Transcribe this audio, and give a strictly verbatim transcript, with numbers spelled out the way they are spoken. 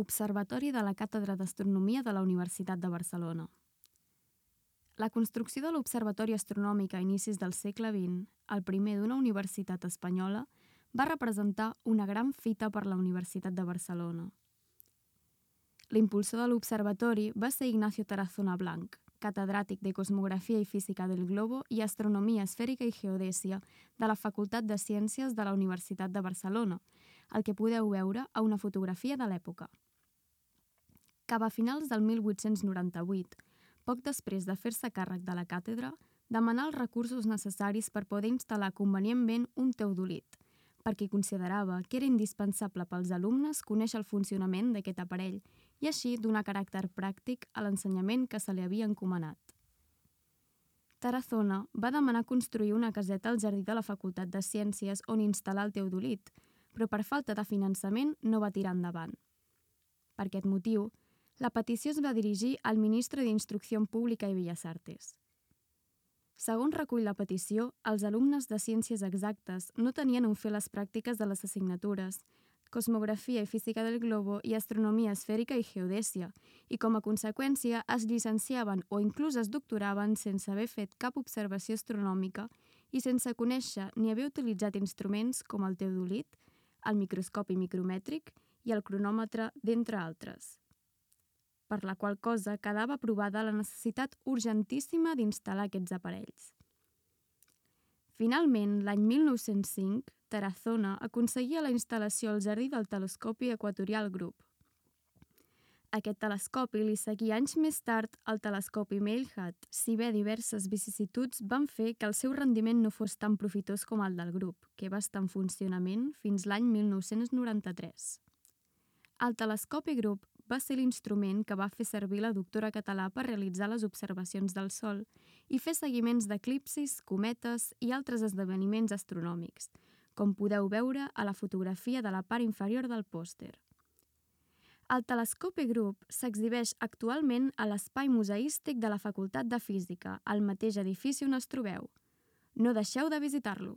Observatori de la Càtedra d'Astronomia de la Universitat de Barcelona. La construcció de l'Observatori Astronòmic a inicis del segle vint, el primer d'una universitat espanyola, va representar una gran fita per la Universitat de Barcelona. L'impulsor de l'observatori va ser Ignacio Tarazona Blanch, catedràtic de Cosmografia i Física del Globo i Astronomia Esfèrica i Geodèsia de la Facultat de Ciències de la Universitat de Barcelona, el que podeu veure a una fotografia de l'època. Cap a finals del mil vuit-cents noranta-vuit, poc després de fer-se càrrec de la càtedra, demanà els recursos necessaris per poder instal·lar convenientment un teodolit, perquè considerava que era indispensable pels alumnes conèixer el funcionament d'aquest aparell i així donar caràcter pràctic a l'ensenyament que se li havia encomanat. Tarazona va demanar construir una caseta al jardí de la Facultat de Ciències on instal·lar el teodolit, però per falta de finançament no va tirar endavant. Per aquest motiu, la petició es va dirigir al ministre d'Instrucció Pública i Belles Artes. Segons recull la petició, els alumnes de Ciències Exactes no tenien on fer les pràctiques de les assignatures Cosmografia i Física del Globo i Astronomia Esfèrica i Geodèsia, i com a conseqüència es llicenciaven o inclús es doctoraven sense haver fet cap observació astronòmica i sense conèixer ni haver utilitzat instruments com el teodolit, el microscopi micromètric i el cronòmetre, d'entre altres. Per la qual cosa quedava provada la necessitat urgentíssima d'instal·lar aquests aparells. Finalment, l'any mil nou-cents cinc, Tarazona aconseguia la instal·lació al jardí del telescopi equatorial Grup. Aquest telescopi li seguia anys més tard el telescopi Mailhat, si bé diverses vicissituds van fer que el seu rendiment no fos tan profitós com el del grup, que va estar en funcionament fins l'any mil nou-cents noranta-tres. El telescopi Grup va ser l'instrument que va fer servir la doctora Català per realitzar les observacions del Sol i fer seguiments d'eclipsis, cometes i altres esdeveniments astronòmics, com podeu veure a la fotografia de la part inferior del pòster. El telescopi Grup s'exhibeix actualment a l'Espai Museístic de la Facultat de Física, al mateix edifici on es trobeu. No deixeu de visitar-lo!